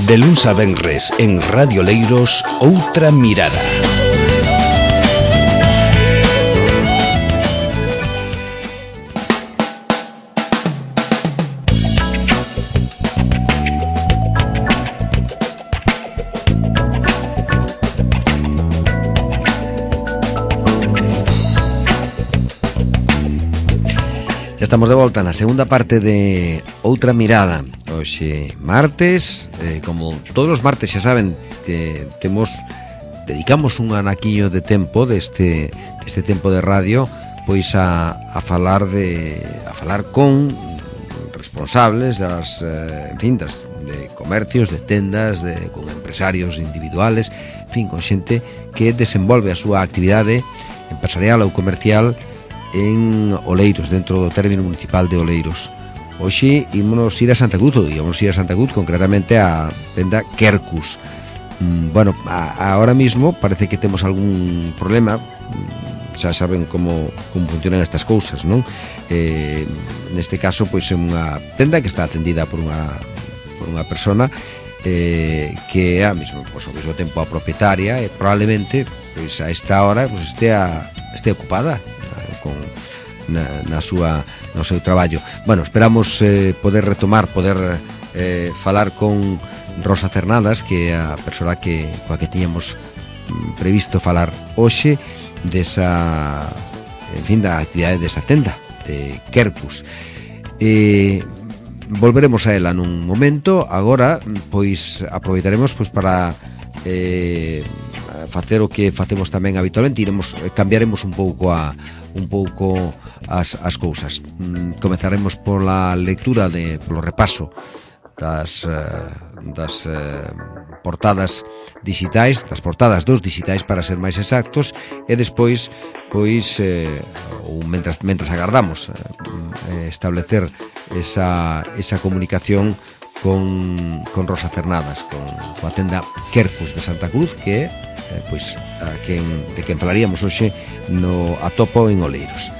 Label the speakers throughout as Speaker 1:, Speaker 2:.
Speaker 1: De luns a venres en Radio Leiros, Outra Mirada.
Speaker 2: Estamos de volta na segunda parte de Outra Mirada. Hoxe martes, como todos os martes xa saben que dedicamos un anaquiño de tempo deste tempo de radio pois a falar con responsables de comercios, de tendas, con empresarios individuales, en fin, con xente que desenvolve a súa actividade empresarial ou comercial en Oleiros, dentro do término municipal de Oleiros. Hoxe ímonos ir a Santa Cruz, concretamente a tenda Quercus. Ahora mismo parece que temos algún problema, xa saben como funcionan estas cousas, non? Neste caso, pois é unha tenda que está atendida por unha persona que é ao mesmo tempo a propietaria e probablemente pois a esta hora pois este ocupada no seu traballo. Esperamos poder falar con Rosa Cernadas, que é a persoa coa que tiñamos previsto falar hoxe da actividade desa tenda de Quercus. Volveremos a ela nun momento. Agora pois aproveitaremos para facer o que facemos tamén habitualmente. Cambiaremos un pouco as cousas. Comezaremos pola lectura polo repaso das portadas digitais, das portadas dos digitais para ser máis exactos, e despois mentras agardamos establecer esa comunicación con Rosa Cernadas, coa tenda Quercus de Santa Cruz, que é de quen falaríamos hoxe no Atopo en Oleiros.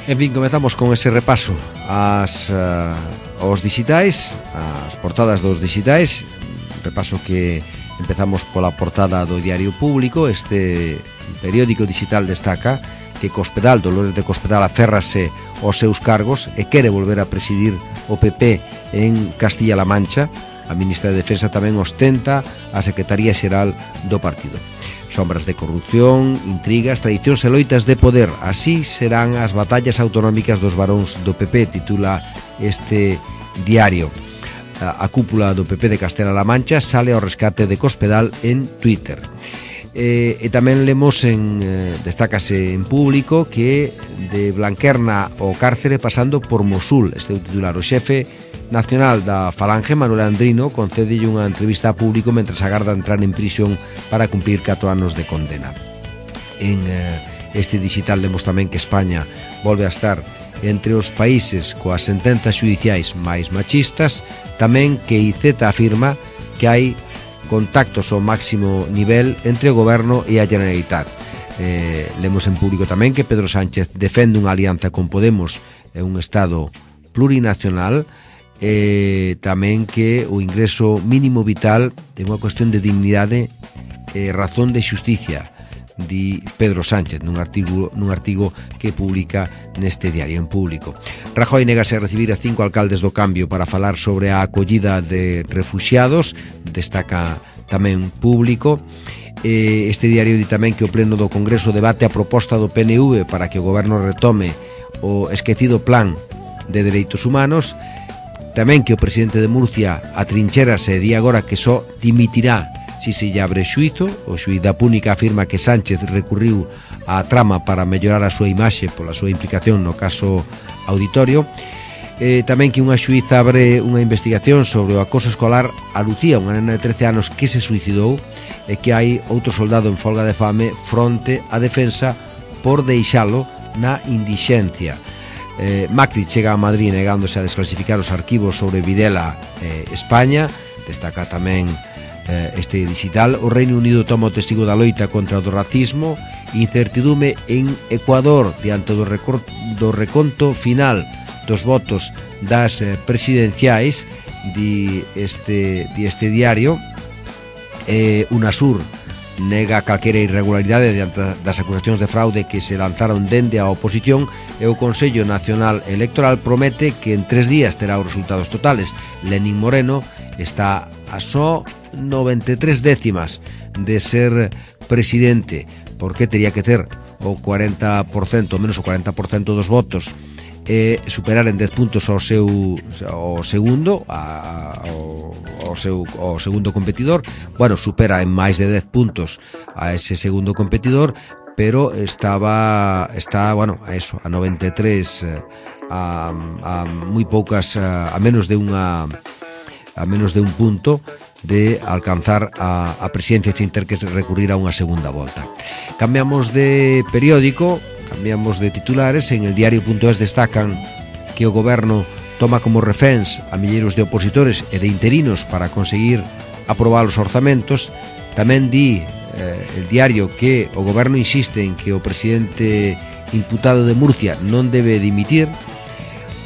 Speaker 2: En fin, comezamos con ese repaso aos digitais, as portadas dos digitais, repaso que empezamos pola portada do Diario Público. Este periódico digital destaca que Cospedal, Dolores de Cospedal, aférrase aos seus cargos e quere volver a presidir o PP en Castilla-La Mancha. A ministra de Defensa tamén ostenta a Secretaría Xeral do partido. Sombras de corrupción, intrigas, traicións e loitas de poder. Así serán as batallas autonómicas dos varóns do PP, titula este diario. A cúpula do PP de Castela-La Mancha sale ao rescate de Cospedal en Twitter. E tamén lemos destácase en Público que de Blanquerna ao cárcere pasando por Mosul. Este é o titular. O xefe nacional da Falange, Manuel Andrino, concedelle unha entrevista a Público mentras agarda entrar en prisión para cumplir 4 anos de condena. En este digital lemos tamén que España volve a estar entre os países coas sentenzas xudiciais máis machistas, tamén que IZ afirma que hai contactos ao máximo nivel entre o Goberno e a Generalitat. Lemos en Público tamén que Pedro Sánchez defende unha alianza con Podemos e un Estado plurinacional, tamén que o ingreso mínimo vital é unha cuestión de dignidade e razón de xusticia, di Pedro Sánchez nun artigo que publica neste diario en Público. Rajoy negase a recibir a 5 alcaldes do Cambio para falar sobre a acollida de refuxiados, destaca tamén Público. Este diario di tamén que o Pleno do Congreso debate a proposta do PNV para que o Goberno retome o esquecido plan de dereitos humanos. Tamén que o presidente de Murcia atrinchérase e di agora que só dimitirá si se lle abre xuízo. O xuíz da Púnica afirma que Sánchez recurriu á trama para mellorar a súa imaxe pola súa implicación no caso Auditorio. Tamén que unha xuíza abre unha investigación sobre o acoso escolar a Lucía, unha nena de 13 anos que se suicidou, e que hai outro soldado en folga de fame fronte á defensa por deixalo na indixencia. Macri chega a Madrid negándose a desclasificar os arquivos sobre Videla España. Destaca tamén este digital. O Reino Unido toma o testigo da loita contra o racismo. Incertidume en Ecuador diante do reconto final dos votos das presidenciais, di este diario. UNASUR nega calquera irregularidade diante das acusacións de fraude que se lanzaron dende a oposición, e o Consello Nacional Electoral promete que en 3 días terá os resultados totales. Lenín Moreno está a só 93 décimas de ser presidente, porque tería que ter o 40%, menos o 40% dos votos, e superar en 10 puntos ao segundo competidor. Bueno, supera en máis de 10 puntos a ese segundo competidor, pero está bueno, a eso, a 93, a moi poucas, a menos de un punto de alcanzar a presidencia sin ter que recurrir a unha segunda volta. Cambiamos de periódico, cambiamos de titulares. En el diario.es destacan que o goberno toma como reféns a milleiros de opositores e de interinos para conseguir aprobar os orzamentos. Tamén di el diario que o goberno insiste en que o presidente imputado de Murcia non debe dimitir.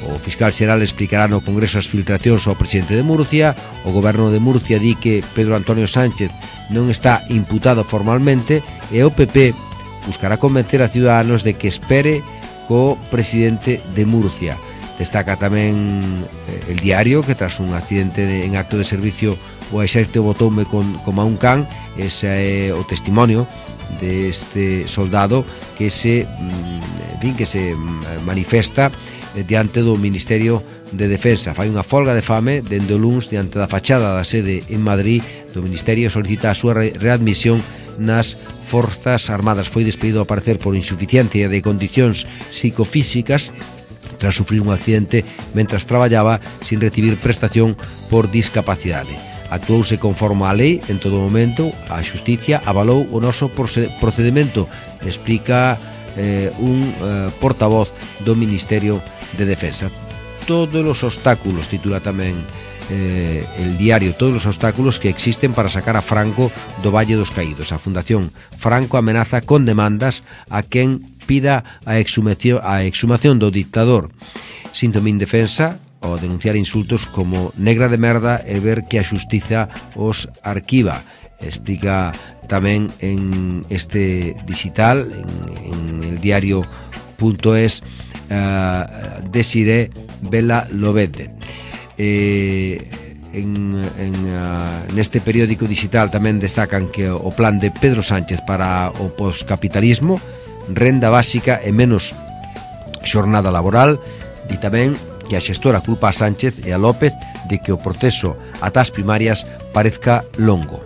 Speaker 2: O fiscal xeral explicará no Congreso as filtracións ao presidente de Murcia. O goberno de Murcia di que Pedro Antonio Sánchez non está imputado formalmente, e o PP buscará convencer a Ciudadanos de que espere co presidente de Murcia. Destaca tamén el diario que tras un accidente en acto de servicio o exército botoume como a un can. Ese é o testimonio deste soldado que se manifesta diante do Ministerio de Defensa. Fai unha folga de fame dende o luns diante da fachada da sede en Madrid do Ministerio, solicita a súa readmisión nas Forzas Armadas. Foi despedido ao parecer por insuficiencia de condicións psicofísicas tras sufrir un accidente mentras traballaba sin recibir prestación por discapacidade. Actuouse conforme á lei en todo momento. A Xusticia avalou o noso procedimento, explica un portavoz do Ministerio de Defensa. Todos os obstáculos, titula tamén el diario, todos os obstáculos que existen para sacar a Franco do Valle dos Caídos. A Fundación Franco amenaza con demandas a quen pida a exhumación do dictador. Síntome indefensa ao denunciar insultos como negra de merda e ver que a xustiza os arquiva. Explica tamén en este digital, en el diario.es, Desiré Vela Lobete. Neste periódico digital tamén destacan que o plan de Pedro Sánchez para o poscapitalismo, renda básica e menos xornada laboral. Di tamén que a xestora culpa a Sánchez e a López de que o proceso ata as primarias parezca longo.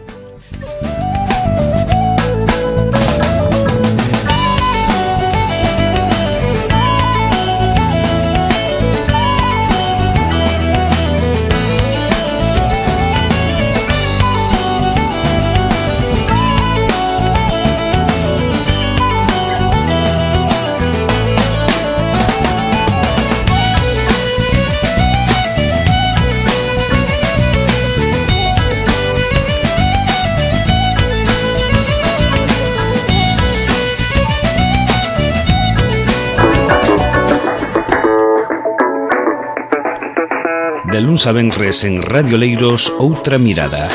Speaker 1: De luns a venres en Radio Leiros, Outra Mirada.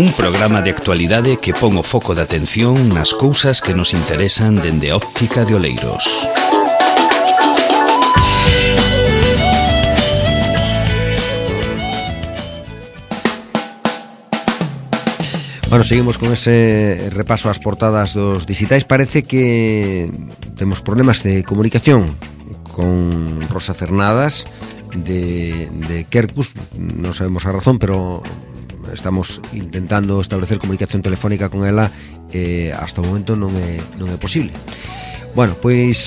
Speaker 1: Un programa de actualidade que pon o foco de atención nas cousas que nos interesan dende a óptica de Oleiros.
Speaker 2: Bueno, seguimos con ese repaso ás portadas dos digitais. Parece que temos problemas de comunicación con Rosa Cernadas de Kerkus. Non sabemos a razón, pero estamos intentando establecer comunicación telefónica con ela e hasta o momento non é posible. Bueno, pois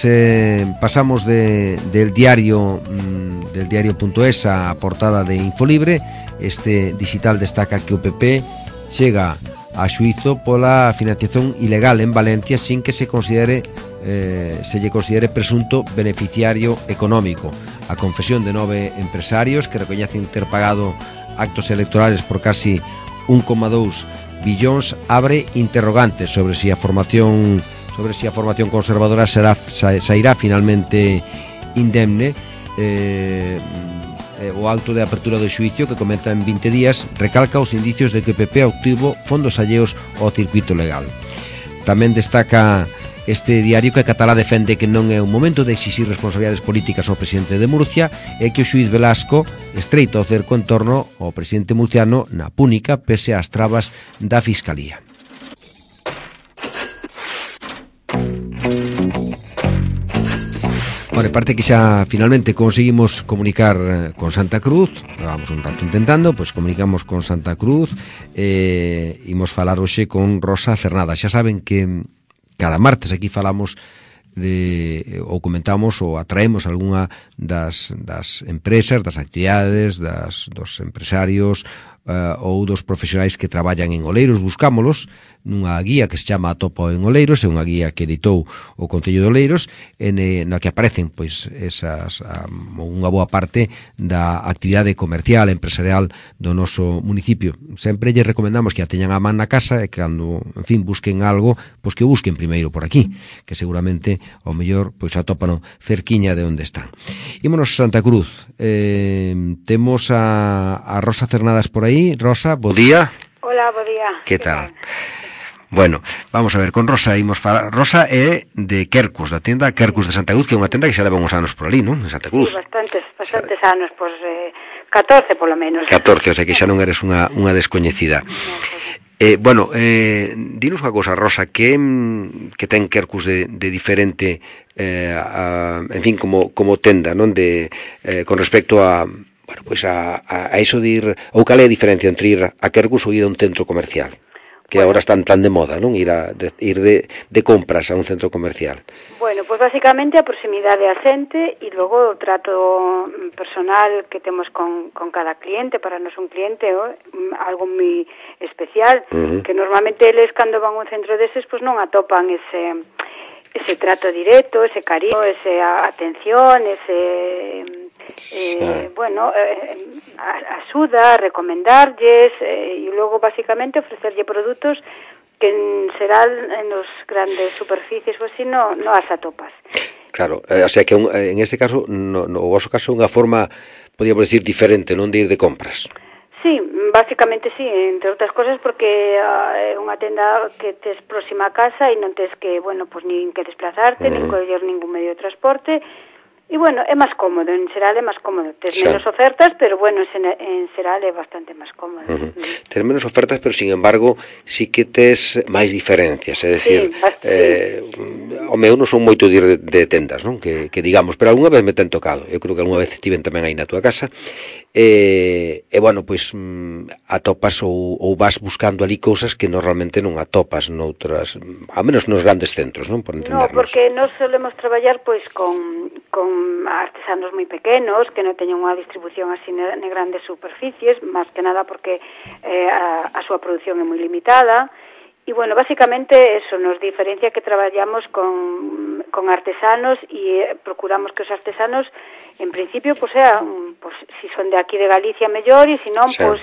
Speaker 2: pasamos del diario.es a portada de Infolibre. Este digital destaca que o PP chega a xuízo pola financiación ilegal en Valencia sin que se lle considere presunto beneficiario económico. A confesión de 9 empresarios que recoñecen ter pagado actos electorales por casi 1,2 billóns abre interrogantes sobre si a formación conservadora sairá finalmente indemne. O auto de apertura do xuicio, que comeza en 20 días, recalca os indicios de que o PP obtivo fondos alleos ao circuito legal. Tamén destaca este diario que a Catalá defende que non é un momento de exixir responsabilidades políticas ao presidente de Murcia e que o xuiz Velasco estreita o cerco en torno ao presidente murciano na púnica pese ás trabas da Fiscalía. Bueno, parte que xa finalmente conseguimos comunicar con Santa Cruz. Vamos un rato intentando, pois comunicamos con Santa Cruz. Imos falar hoxe con Rosa Cernada. Xa saben que cada martes aquí falamos ou comentamos ou atraemos algunha das empresas, das actividades, dos empresarios ou dos profesionais que traballan en Oleiros. Buscámolos nunha guía que se chama Atopa en Oleiros, é unha guía que editou o Concello de Oleiros, na que aparecen pois esas unha boa parte da actividade comercial, empresarial do noso municipio. Sempre lle recomendamos que a teñan a man na casa e que cando, en fin, busquen algo, pois que o busquen primeiro por aquí, que seguramente ao mellor pois atópano cerquiña de onde están. Ímonos a Santa Cruz. Temos a Rosa Cernadas por aí. Rosa, bo día.
Speaker 3: Hola, bo día.
Speaker 2: Que tal? Bueno, vamos a ver, con Rosa imos falar. Rosa é de Quercus, da tenda Quercus de Santa Cruz, que é unha tenda que xa leva uns anos por ali, non? En Santa Cruz.
Speaker 3: Sí, bastantes anos, pois 14 polo menos.
Speaker 2: 14, o sea que xa non eres unha descoñecida. Bueno, dinos unha cousa, Rosa, que ten Quercus de diferente, en fin, como tenda, non? Con respecto a, bueno, pues a iso de ir, ou cal é a diferencia entre ir a Quercus ou ir a un centro comercial? Que agora están tan de moda, non? Ir de compras a un centro comercial.
Speaker 3: Bueno, pues básicamente a proximidade a xente e logo o trato personal que temos con cada cliente. Para nós un cliente algo moi especial, que normalmente eles cando van a un centro deses pues non atopan ese trato directo, ese cariño, esa atención, bueno, axuda, recomendarlles e logo basicamente ofrecerlle produtos que en xeral en os grandes superficies ou así non as atopas.
Speaker 2: Claro, o sea que en este caso, no vosso caso, unha forma, podíamos decir, diferente, non de ir de compras.
Speaker 3: Sí, básicamente sí, entre outras cosas porque é unha tenda que tes próxima a casa e non tes que, bueno, pues nin que desplazarte, nin coller ningún medio de transporte. E, bueno, é máis cómodo, en xeral é máis cómodo. Tes menos ofertas, pero, bueno, en xeral é bastante máis cómodo.
Speaker 2: Tes menos ofertas, pero, sin embargo, sí que tes máis diferencias. É dicir, o meu non son moito de ir de tendas, non? Que digamos, pero algunha vez me ten tocado. Eu creo que algunha vez estiven tamén aí na túa casa. Bueno, pois atopas ou vas buscando ali cousas que normalmente non atopas noutras, ao menos nos grandes centros, non? Por entendernos.
Speaker 3: No, porque nós solemos traballar pois con artesanos moi pequenos que non teñen unha distribución así en grandes superficies, máis que nada porque a súa produción é moi limitada. E, bueno, basicamente eso nos diferencia que traballamos con artesanos e procuramos que os artesanos, en principio, pues sean, pues, si son de aquí de Galicia, mellor, e se non, pues,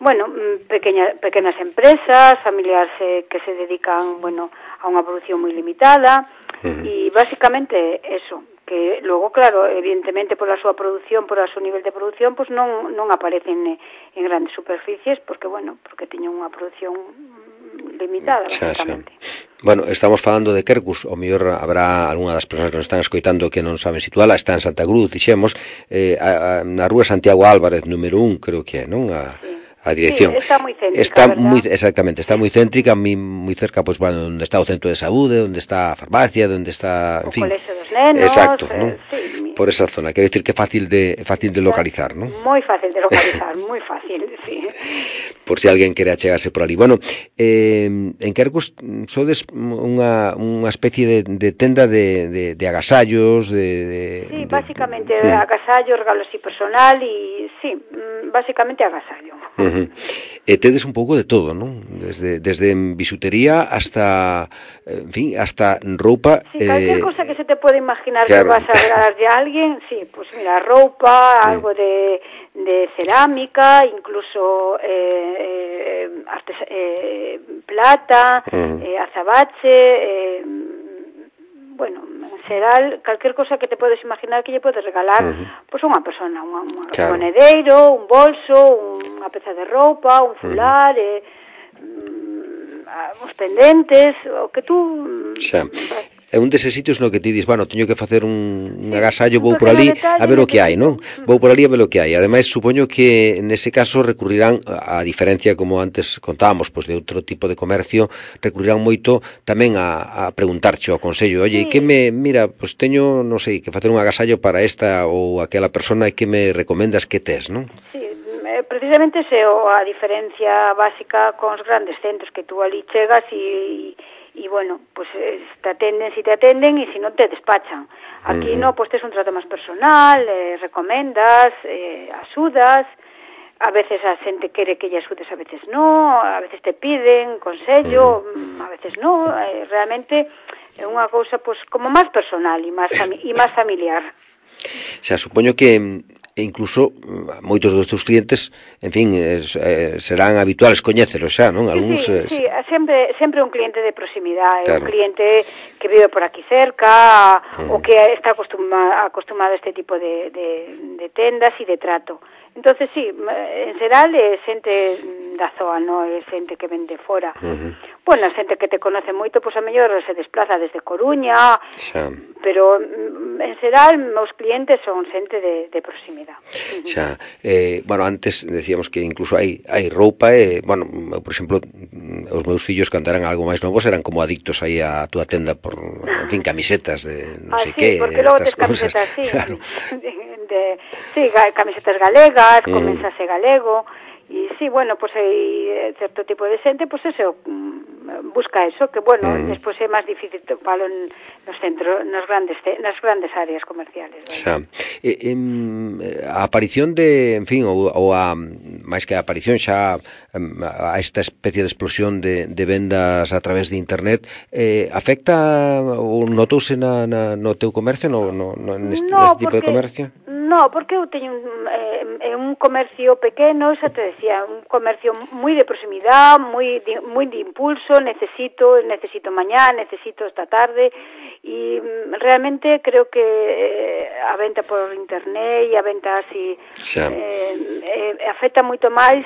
Speaker 3: bueno, pequenas empresas, familiares que se dedican, bueno, a unha produción moi limitada, e basicamente eso, que logo, claro, evidentemente pola súa produción, por o seu nivel de produción, pues non aparecen en grandes superficies, porque, bueno, porque teñen unha produción limitada, basicamente.
Speaker 2: Bueno, estamos falando de Quercus, o mellor habrá algunha das persoas que nos están escoitando que non saben situala, está en Santa Cruz, dixemos, na rúa Santiago Álvarez, número 1, creo que é, non? A dirección.
Speaker 3: Sí, está moi céntrica,
Speaker 2: exactamente, está moi céntrica, moi cerca, pois, bueno, onde está o centro de saúde, onde está a farmacia, onde está, en fin,
Speaker 3: o colexio dos nenos,
Speaker 2: exacto, non? Sí, por esa zona, quero dicir que é fácil de localizar, non?
Speaker 3: Moi fácil de localizar, moi fácil, sí.
Speaker 2: Por si alguén quere achegarse por ali. Bueno, en Quercus sodes unha especie de tenda de agasallos,
Speaker 3: sí, básicamente agasallos, regalos y personal e, sí, básicamente agasallo.
Speaker 2: E tedes un pouco de todo, non? Desde bisutería hasta, en fin, hasta roupa.
Speaker 3: Sí, calquer cosa que se te pode imaginar
Speaker 2: claro.
Speaker 3: que vas a regalarle a alguien, sí, pues mira, roupa, algo de cerámica, incluso plata, azabache, bueno, en xeral, calquer cosa que te podes imaginar que lle podes regalar pois unha persona, un monedeiro, un bolso, unha peza de roupa, un fular, os pendentes, o que tú...
Speaker 2: Xa. É un deses sitios no que ti dis, bueno, teño que facer un agasallo, vou por ali a ver o que hai, non? Vou por ali a ver o que hai. Ademais, supoño que nese caso recurrirán, a diferencia como antes contábamos, pois de outro tipo de comercio, recurrirán moito tamén a preguntarche ao consello, oye, que mira, pois teño, non sei, que facer un agasallo para esta ou aquela persona e que me recomendas que tes, non?
Speaker 3: Sí, precisamente ese a diferencia básica con os grandes centros, que tú ali chegas e bueno, pues te atenden si te atenden e si non te despachan. Aquí no, pues tes un trato máis personal, recomendas, axudas, a veces a xente quere que lle axudes, a veces no, a veces te piden consello, a veces no, realmente é unha cousa pues como máis personal e máis familiar.
Speaker 2: Xa, supoño que incluso moitos dos teus clientes, en fin, serán habituales coñécelos xa, non? Algúns,
Speaker 3: sí, sempre un cliente de proximidade,
Speaker 2: claro.
Speaker 3: Un cliente que vive por aquí cerca, ou que está acostumado a este tipo de tendas e de trato. Entonces, sí, en xeral é xente da zoa, non é xente que vende fora. Bueno, xente que te conoce moito, pois a mellor se desplaza desde Coruña, pero en xeral os clientes son xente de proximidade.
Speaker 2: Xa, bueno, antes decíamos que incluso hai roupa, bueno, por exemplo, os meus fillos cando eran algo máis novos eran como adictos aí a túa tenda por, en fin, camisetas de non sei que,
Speaker 3: porque logo tes camisetas, sí, claro. Sí, camisetas galegas, con mensaxe galego, e sí, bueno, pues hai certo tipo de xente, pues eso, busca eso, que bueno, despois é máis difícil topalo nos centros, nas grandes áreas comerciales.
Speaker 2: Xa. A aparición de, en fin, ou a máis que a aparición xa a esta especie de explosión de vendas a través de internet, afecta ou notouse no teu comercio, neste tipo de comercio?
Speaker 3: No, porque eu teño un comercio pequeno, xa te decía, un comercio moi de proximidade, moi de impulso, necesito mañá, necesito esta tarde, e realmente creo que a venta por internet e a venta así afecta moito máis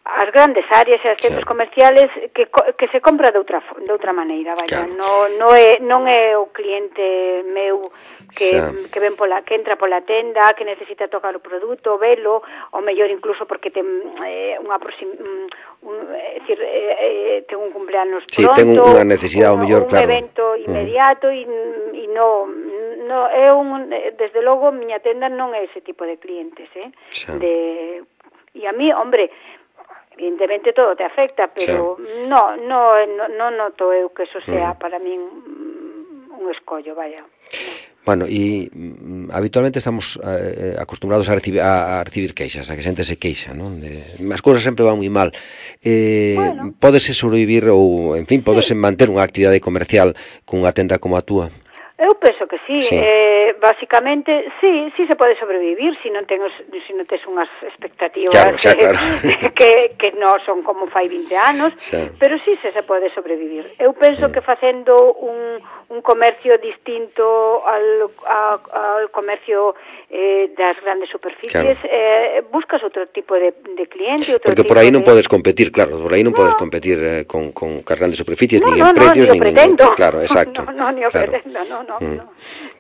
Speaker 3: as grandes áreas e os centros comerciales que se compra de outra maneira, vaya, non é o cliente meu que entra pola tenda, que necesita tocar o produto, velo, ou mellor incluso porque ten ten un cumpleaños pronto,
Speaker 2: ten unha necesidade, ou mellor, claro,
Speaker 3: un evento inmediato e non é desde logo miña tenda non é ese tipo de clientes, e a mí, hombre, evidentemente todo te afecta, pero non noto eu que eso sea para min un escollo, vaya.
Speaker 2: Bueno, e habitualmente estamos acostumbrados a recibir queixas, a que xente se queixa, non? As cousas sempre van moi mal. Pódese sobrevivir ou, en fin, pódese manter unha actividade comercial cunha tenda como a túa?
Speaker 3: Eu penso que sí, basicamente sí se pode sobrevivir se non tes unhas expectativas que non son como fai 20 anos, pero sí se pode sobrevivir. Eu penso que facendo un comercio distinto al comercio das grandes superficies, buscas outro tipo de cliente,
Speaker 2: porque por aí non podes competir, claro, por aí non podes competir con as grandes superficies, nin en precios, nin en... Claro, exacto.
Speaker 3: Non o pretendo,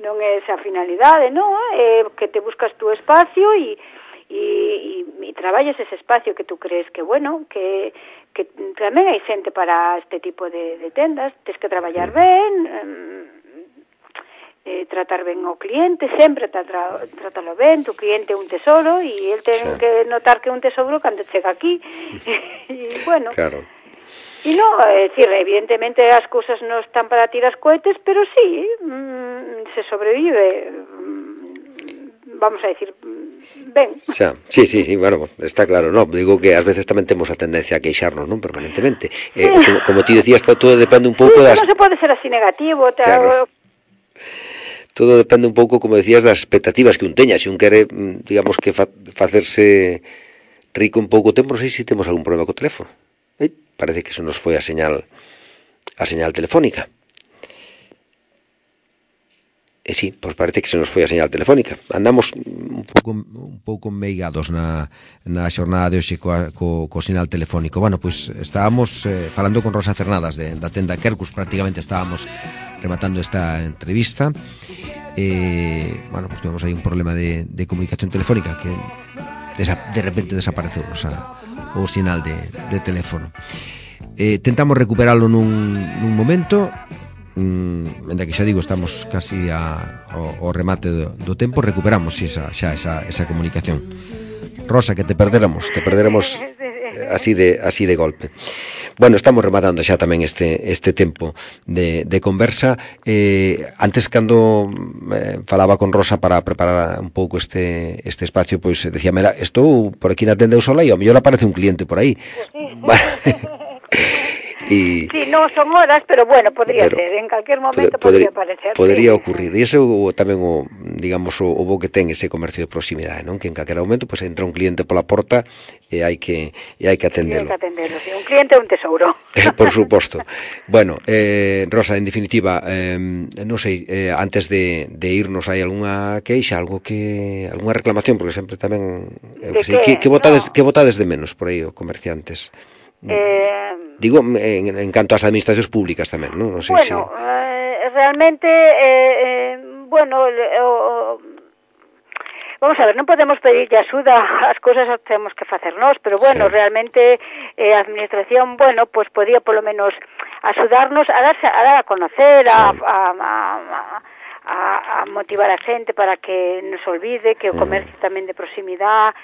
Speaker 3: non é esa finalidade, non? É que te buscas tu espacio e traballas ese espacio que tú crees que, bueno, que tamén hai xente para este tipo de tendas, tens que traballar ben, tratar ben ao cliente, sempre trátalo ben, tu cliente é un tesoro e el ten que notar que é un tesoro cando chega aquí, e bueno... Claro. E non, é dicir, evidentemente as cousas non están para tirar cohetes, pero sí, se sobrevive, vamos a decir, ben.
Speaker 2: Xa, sí, bueno, está claro, no, digo que ás veces tamén temos a tendencia a queixarnos, non, permanentemente. Como ti decías, todo depende un pouco das...
Speaker 3: Non se pode ser así negativo,
Speaker 2: todo depende un pouco, como decías, das expectativas que un teña. Se un quere, digamos, que facerse rico en pouco tempo, non sei se temos algún problema co teléfono. Parece que se nos foi a señal telefónica. Sí, pois parece que se nos foi a señal telefónica. Andamos un pouco meigados na xornada de hoxe co sinal telefónico. Bueno, pois estábamos falando con Rosa Cernadas da tenda Quercus, prácticamente estábamos rematando esta entrevista. Bueno, pois tuvemos aí un problema de comunicación telefónica que de repente desapareceu o sinal de teléfono. Tentamos recuperalo nun momento. Ainda que xa digo, estamos casi ao remate do tempo, recuperamos esa comunicación. Rosa, que te perderamos así de golpe. Bueno, estamos rematando xa tamén este tempo de conversa. Antes, cando falaba con Rosa para preparar un pouco este espacio, pois decíame, estou por aquí na tenda do Sola e ao mellor aparece un cliente por aí. Sí,
Speaker 3: non son horas, pero bueno, podría ser, en calquer momento podría aparecer.
Speaker 2: Podría ocurrir, e iso tamén digamos, o bo que ten ese comercio de proximidade, non? Que en calquera momento pues, entra un cliente pola porta e hai que atendelo.
Speaker 3: Hai que atendelo, sí. Un cliente é un tesouro.
Speaker 2: Por suposto. Bueno, Rosa, en definitiva, non sei, antes de irnos, hai algunha queixa, algunha reclamación, porque sempre tamén que botades de menos por aí os comerciantes? Digo, en canto ás administracións públicas tamén, non? Non sei
Speaker 3: bueno, realmente, vamos a ver, non podemos pedirlle axuda, as cousas as temos que facer nós, pero bueno, sí. Realmente a administración, bueno, pues podía polo menos axudarnos a dar a conocer, sí. a motivar a xente para que nos olvide que o comercio tamén de proximidade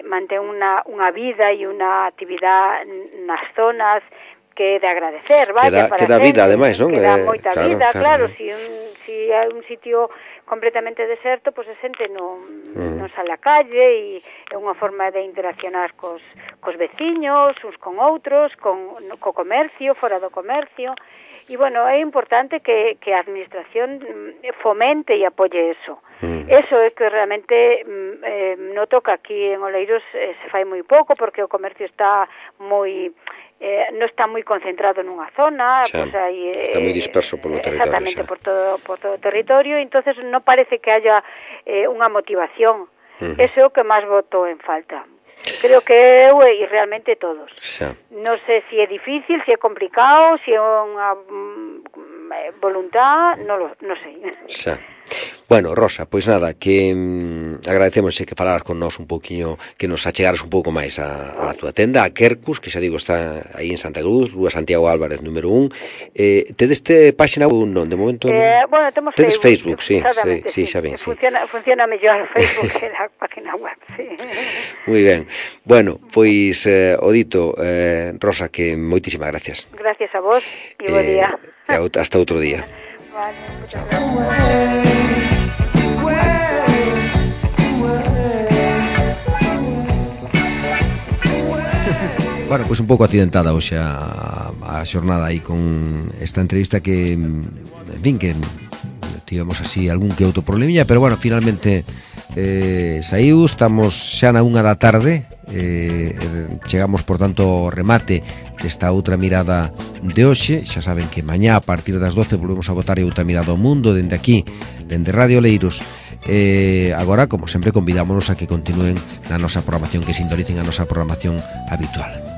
Speaker 3: mantén unha vida e unha actividade nas zonas que é de agradecer, vaya,
Speaker 2: que dá vida, ademais, non?
Speaker 3: Que dá moita vida, claro, si hai un sitio completamente deserto, pois a xente non sale á calle e é unha forma de interaccionar cos veciños, uns con outros, co comercio, fora do comercio. E, bueno, é importante que a administración fomente e apoie eso. Eso é que realmente noto que aquí en Oleiros se fai moi pouco, porque o comercio está moi... non está moi concentrado nunha zona,
Speaker 2: pues aí, está moi disperso polo territorio.
Speaker 3: Exactamente, por todo o territorio, entonces non parece que haya unha motivación. Eso é o que máis voto en falta. Creo que eu e realmente todos. Non sei se é difícil, se é complicado, se é unha voluntad, non sei.
Speaker 2: Bueno, Rosa, pois nada, que agradecemos que falaras con nós un pouquiño, que nos achegaras un pouco máis a túa tenda, a Quercus, que xa digo está aí en Santa Cruz, Rúa Santiago Álvarez, número 1. Tedes página ou non? De momento non?
Speaker 3: Bueno, temos
Speaker 2: Facebook, sí, xa ben.
Speaker 3: Funciona mellor Facebook que a página web, sí.
Speaker 2: Moi ben. Bueno, pois o dito, Rosa, que moitísimas gracias.
Speaker 3: Gracias a vos e bo día.
Speaker 2: Hasta outro día.
Speaker 3: Vale, muchas gracias.
Speaker 2: Bueno, pois un pouco accidentada hoxe a xornada aí con esta entrevista que, en fin, que tivemos así algún que outro problemilla, pero bueno, finalmente saiu, estamos xa na 1 da tarde, chegamos por tanto ao remate desta outra mirada de hoxe. Xa saben que mañá a partir das 12 volvemos a botar outra mirada ao mundo dende aquí, dende Radio Oleiros. Agora, como sempre, convidámonos a que continúen na nosa programación, que sintonicen a nosa programación habitual.